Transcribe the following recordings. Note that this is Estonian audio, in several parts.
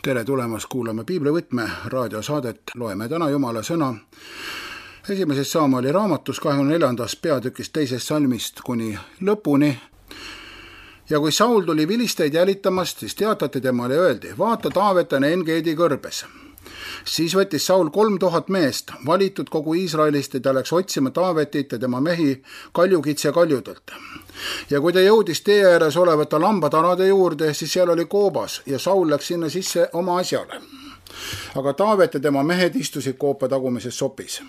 Tere tulemast kuulama Piiblivõtme raadiosaadet. Loeme täna Jumala sõna esimeses Samueli raamatus 24. peatükist 2. salmist kuni lõpuni. Ja kui Saul tuli vilisteid jälitamast, siis teatati temale ja öeldi, vaata, Taavet on En-Gedi kõrbes. Siis võttis Saul 3000 meest, valitud kogu Iisraelist, ja ta läks otsima Taavetit ja tema mehi kaljukitse kaljudelt. Ja kui ta jõudis tee ääres olevate lambatarade juurde, siis seal oli koobas ja Saul läks sinna sisse oma asjale. Aga Taavet ja tema mehed istusid koopa tagumises sopis.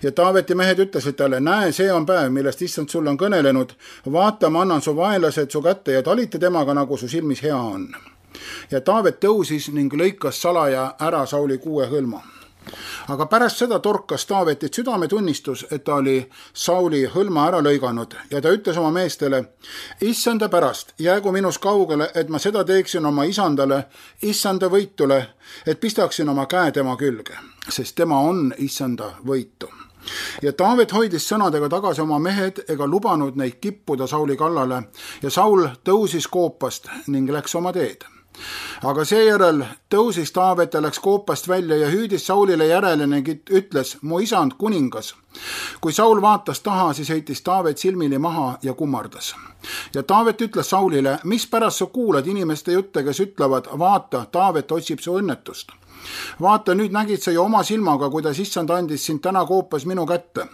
Ja Taaveti mehed ütlesid talle, näe, see on päev, millest issand sulle on kõnelenud, vaata, ma annan su vaenlased su kätte ja talita temaga, nagu su silmis hea on. Ja Taavet tõusis ning lõikas salaja ära Sauli 6 hõlma. Aga pärast seda torkas Taavetit südametunnistus, et ta oli Sauli hõlma ära lõiganud ja ta ütles oma meestele, issanda pärast, jäägu minus kaugele, et ma seda teeksin oma isandale, issanda võitule, et pistaksin oma käe tema külge, sest tema on issanda võitu. Ja Taavet hoidis sõnadega tagasi oma mehed ega lubanud neid kippuda Sauli kallale ja Saul tõusis koopast ning läks oma teed. Aga seejärel tõusis Taavet ja läks koopast välja ja hüüdis Saulile järele ning ütles, mu isand kuningas. Kui Saul vaatas taha, siis heitis Taavet silmili maha ja kummardas. Ja Taavet ütles Saulile, mis pärast sa kuulad inimeste jutte, kes ütlevad, vaata, Taavet otsib su õnnetust. Vaata, nüüd nägid sa ju oma silmaga, kuidas issand andis sind täna koopas minu kätte.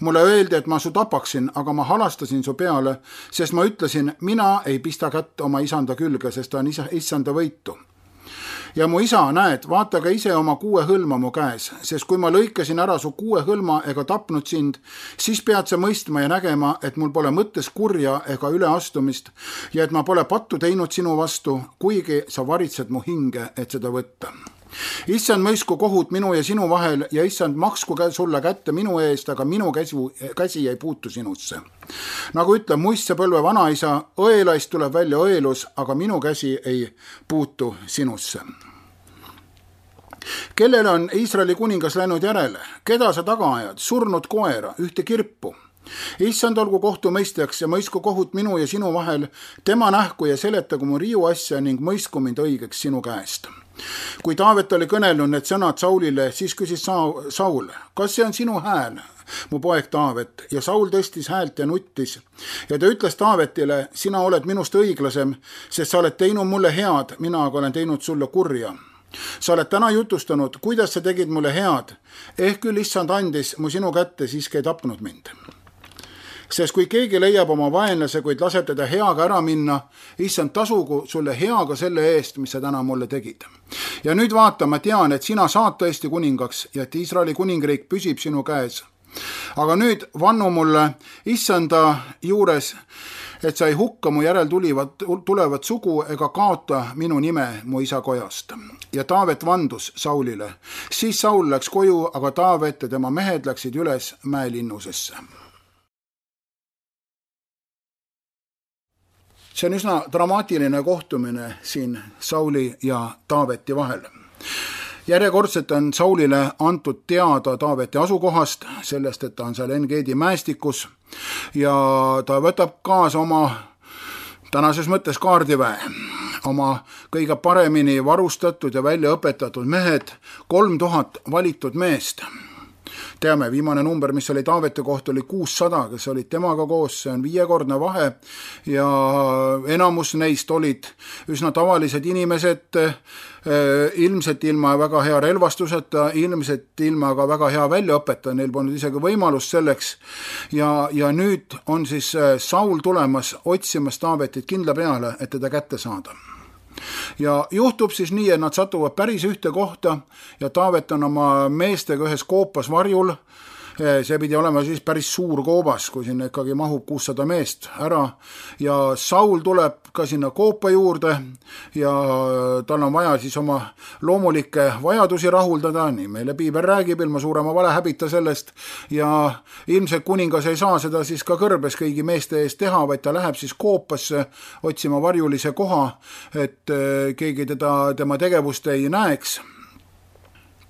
Mulle öeldi, et ma su tapaksin, aga ma halastasin su peale, sest ma ütlesin, mina ei pista kätt oma isanda külge, sest ta on issanda võitu. Ja mu isa, näed, vaata ka ise oma 6 hõlma mu käes, sest kui ma lõikasin ära su 6 hõlma ega tapnud sind, siis pead sa mõistma ja nägema, et mul pole mõttes kurja ega üleastumist ja et ma pole pattu teinud sinu vastu, kuigi sa varitsed mu hinge, et seda võtta. Issand mõisku kohut minu ja sinu vahel ja issand maksku sulle kätte minu eest, aga minu käsi ei puutu sinusse. Nagu ütleb muistse-põlve vanaisa, õelaist tuleb välja õelus, aga minu käsi ei puutu sinusse. Kellele on Iisraeli kuningas läinud järele? Keda sa taga ajad? Surnud koera, ühte kirpu. Issand olgu kohtumõistjaks ja mõisku kohut minu ja sinu vahel, tema nähku ja seletagu mu riiu asja ning mõisku mind õigeks sinu käest. Kui Taavet oli kõnelnud need sõnad Saulile, siis küsis Saul, kas see on sinu hääl, mu poeg Taavet? Ja Saul tõstis häält ja nuttis. Ja ta ütles Taavetile, sina oled minust õiglasem, sest sa oled teinud mulle head, mina aga olen teinud sulle kurja. Sa oled täna jutustanud, kuidas sa tegid mulle head, küll issand andis mu sinu kätte, siiski ei tapnud mind. Sest kui keegi leiab oma vaenlase, kuid laseb teda heaga ära minna, issand tasugu sulle heaga selle eest, mis sa täna mulle tegid. Ja nüüd vaata, ma tean, et sina saad tõesti kuningaks ja et Iisraeli kuningriik püsib sinu käes. Aga nüüd vannu mulle issanda juures, et sa ei hukka mu järel tulevat sugu ega kaota minu nime mu isa kojast. Ja Taavet vandus Saulile. Siis Saul läks koju, aga Taavet ja tema mehed läksid üles mäelinnusesse. See on üsna dramaatiline kohtumine siin Sauli ja Taaveti vahel. Järjekordselt on Saulile antud teada Taaveti asukohast, sellest, et ta on seal En-Gedi mäestikus ja ta võtab kaasa oma tänases mõttes kaardiväe, oma kõige paremini varustatud ja välja õpetatud mehed, 3000 valitud meest. Teame, viimane number, mis oli Taaveti kohta, oli 600, kes olid temaga koos, see on 5-kordne vahe ja enamus neist olid üsna tavalised inimesed, ilmselt ilma väga hea relvastuseta, ilmselt ilma ka väga hea väljaõpeta, neil polnud isegi võimalust selleks ja nüüd on siis Saul tulemas otsimas Taavetit kindla peale, et teda kätte saada. Ja juhtub siis nii, et nad satuvad päris ühte kohta ja Taavet on oma meestega ühes koopas varjul. See pidi olema siis päris suur koobas, kui sinna ikkagi mahub 600 meest ära ja Saul tuleb ka sinna koopa juurde ja tal on vaja siis oma loomulikke vajadusi rahuldada, nii meile piibel räägib, ilma suurema valehäbita sellest ja ilmselt kuningas ei saa seda siis ka kõrbes kõigi meeste eest teha, vaid ta läheb siis koopasse otsima varjulise koha, et keegi tema tegevust ei näeks.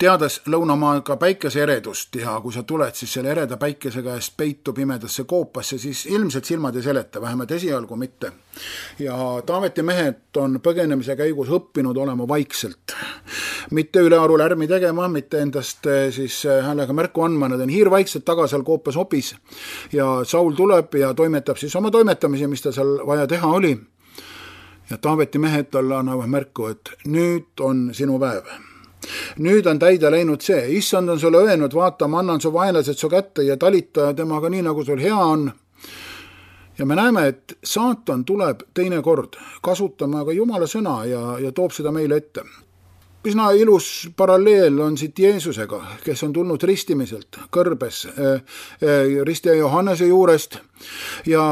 Teades lõunamaaga päikese eredust ja kui sa tuled siis selle ereda päikese käest peitu pimedasse koopasse, siis ilmselt silmad ei seleta, vähemalt esialgu mitte. Ja Taaveti mehed on põgenemise käigus õppinud olema vaikselt. mitte ülearu lärmi tegema, mitte endast siis häälega märku andma, nad on hiirvaikselt taga seal koopas hopis ja Saul tuleb ja toimetab siis oma toimetamisi, mis ta seal vaja teha oli. Ja Taaveti mehed talle annavad märku, et nüüd on sinu päev. Nüüd on täide läinud see, issand on sulle öelnud, vaata, ma annan su vaenlased su kätte ja talita temaga nii, nagu sul hea on. Ja me näeme, et saatan tuleb teine kord kasutama ka Jumala sõna ja toob seda meile ette. Üsna ilus paralleel on siit Jeesusega, kes on tulnud ristimiselt kõrbes, ristija Johannese juurest ja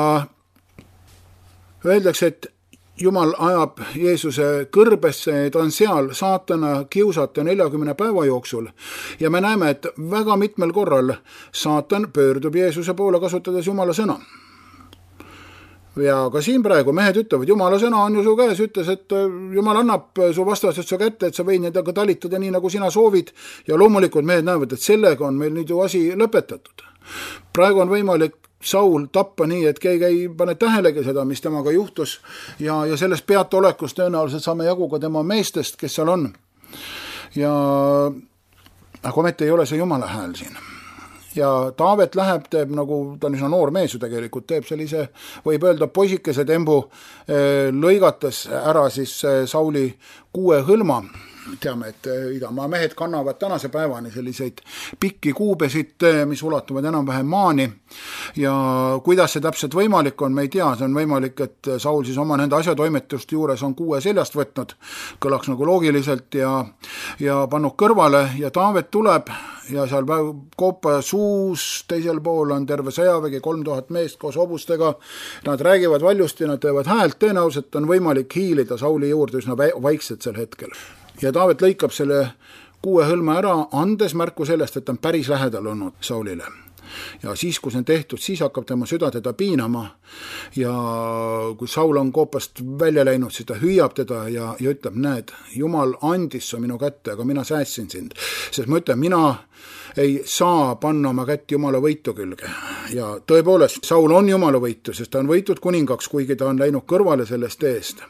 öeldakse, et Jumal ajab Jeesuse kõrbesse, ta on seal saatana kiusata 40 päeva jooksul ja me näeme, et väga mitmel korral saatan pöördub Jeesuse poole kasutades Jumala sõna. Ja ka siin praegu mehed ütlevad, Jumala sõna on ju su käes, ütles, et Jumal annab su vastased su kätte, et sa võid nendega talitada nii, nagu sina soovid ja loomulikult mehed näevad, et sellega on meil nüüd ju asi lõpetatud. Praegu on võimalik Saul tappa nii, et keegi ei pane tähelegi seda, mis temaga juhtus ja sellest peataolekust tõenäoliselt saame jagu ka tema meestest, kes seal on. Aga ometi ei ole see Jumala hääl siin. Ja Taavet läheb, teeb nagu, ta on üsna noor mees ju tegelikult, teeb sellise, võib öelda poisikese tembu, lõigates ära siis Sauli 6 hõlma. Teame, et idamaa mehed kannavad tänase päevani selliseid pikki kuubesid, mis ulatuvad enam-vähem maani ja kuidas see täpselt võimalik on, me ei tea, see on võimalik, et Saul siis oma nende asjatoimetuste juures on 6 seljast võtnud, kõlaks nagu loogiliselt ja pannud kõrvale ja Taavet tuleb ja seal koopa suus teisel pool on terve sõjavägi, 3000 meest koos hobustega, nad räägivad valjusti, nad teevad häält, tõenäoliselt on võimalik hiilida Sauli juurde üsna vaikselt sel hetkel. Ja Taavet lõikab selle 6 hõlma ära, andes märku sellest, et ta on päris lähedal olnud Saulile. Ja siis, kui see on tehtud, siis hakkab tema süda teda piinama ja kui Saul on koopast välja läinud, siis ta hüüab teda ja ütleb, näed, Jumal andis su minu kätte, aga mina säästsin sind. Sest ma ütlen, mina ei saa panna oma kätt Jumala võitu külge. Ja tõepoolest, Saul on Jumala võitu, sest ta on võitud kuningaks, kuigi ta on läinud kõrvale sellest eest.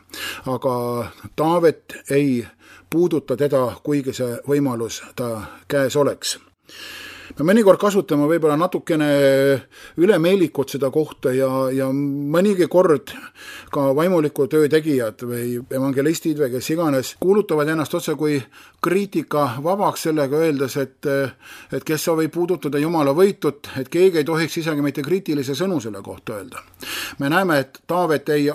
Aga Taavet ei puuduta teda, kuigi see võimalus ta käes oleks. Me mõnikord kasutame võib-olla natukene ülemeelikut seda kohta ja mõnigi kord ka vaimuliku töö tegijad või evangelistid või kes iganes kuulutavad ennast otse kui kriitika vabaks sellega öeldes, et kes sa võib puudutada Jumala võitut, et keegi ei tohiks isegi mitte kriitilise sõnu selle kohta öelda. Me näeme, et Taavet ei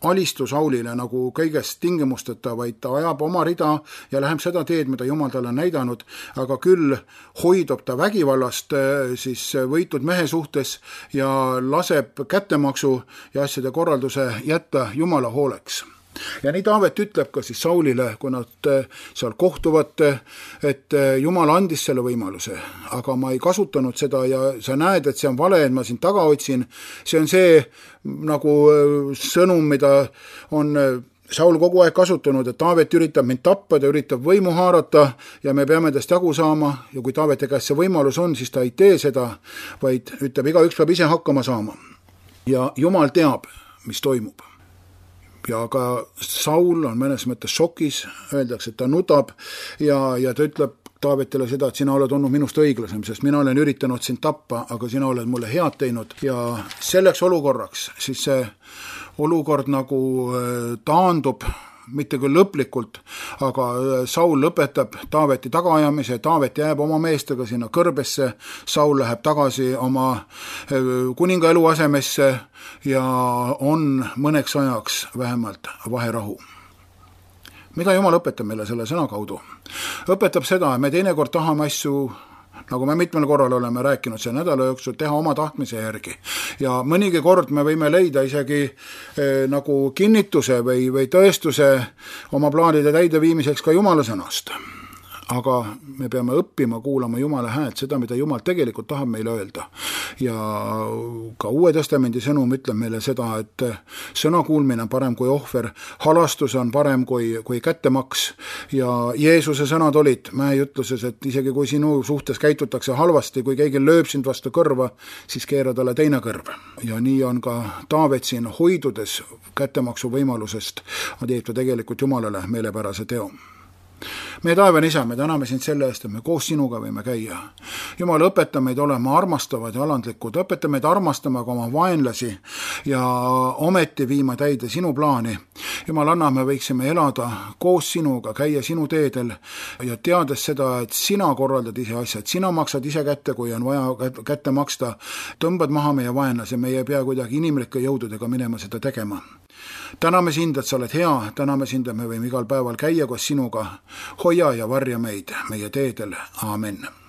alistu Saulile nagu kõigest tingimusteta, vaid ta ajab oma rida ja läheb seda teed, mida Jumal talle on näidanud, aga küll hoidub ta vägivallast siis võitud mehe suhtes ja laseb kättemaksu ja asjade korralduse jätta Jumala hooleks. Ja nii Taavet ütleb ka siis Saulile, kui nad seal kohtuvad, et Jumal andis selle võimaluse, aga ma ei kasutanud seda ja sa näed, et see on vale, et ma sind taga otsin. See on see nagu sõnum, mida on Saul kogu aeg kasutanud, et Taavet üritab mind tappa, ta üritab võimu haarata ja me peame tast jagu saama ja kui Taaveti käes see võimalus on, siis ta ei tee seda, vaid ütleb, igaüks peab ise hakkama saama. Ja Jumal teab, mis toimub. Ja ka Saul on mõnes mõttes šokis, öeldakse, et ta nutab ja ta ütleb Taavetile seda, et sina oled olnud minust õiglasem, sest mina olen üritanud sind tappa, aga sina oled mulle head teinud ja selleks olukorraks, siis see olukord nagu taandub, mitte küll lõplikult, aga Saul lõpetab Taaveti tagaajamise, Taavet jääb oma meestega sinna kõrbesse, Saul läheb tagasi oma kuninga eluasemesse ja on mõneks ajaks vähemalt vaherahu. Mida Jumal õpetab meile selle sõna kaudu? Õpetab seda, et me teinekord tahame asju, nagu me mitmel korral oleme rääkinud see nädala jooksul, teha oma tahtmise järgi. Ja mõnigi kord me võime leida isegi nagu kinnituse või tõestuse oma plaanide täideviimiseks ka Jumala sõnast. Aga me peame õppima kuulama Jumala häält, seda, mida Jumal tegelikult tahab meile öelda. Ja ka Uue Testamendi sõnum ütleb meile seda, et sõna kuulmine on parem kui ohver, halastus on parem kui kättemaks ja Jeesuse sõnad olid Mäe ütluses, et isegi kui sinu suhtes käitutakse halvasti, kui keegi lööb sind vastu kõrva, siis keera talle teine kõrv. Ja nii on ka Taavet siin hoidudes kättemaksu võimalusest, teeb ta tegelikult Jumalale meelepärase teo. meie taevane Isa, me täname sind selle eest, et me koos sinuga võime käia. Jumal, õpeta meid olema armastavad ja alandlikud, õpeta meid armastama ka oma vaenlasi ja ometi viima täide sinu plaani. Jumal, anna, me võiksime elada koos sinuga, käia sinu teedel ja teades seda, et sina korraldad ise asjad, sina maksad ise kätte, kui on vaja kätte maksta, tõmbad maha meie vaenlase, meie ei pea kuidagi inimlike jõududega minema seda tegema. Täname sind, et sa oled hea, täname sind, et me võime igal päeval käia koos sinuga, hoia ja varja meid meie teedel. Aamen.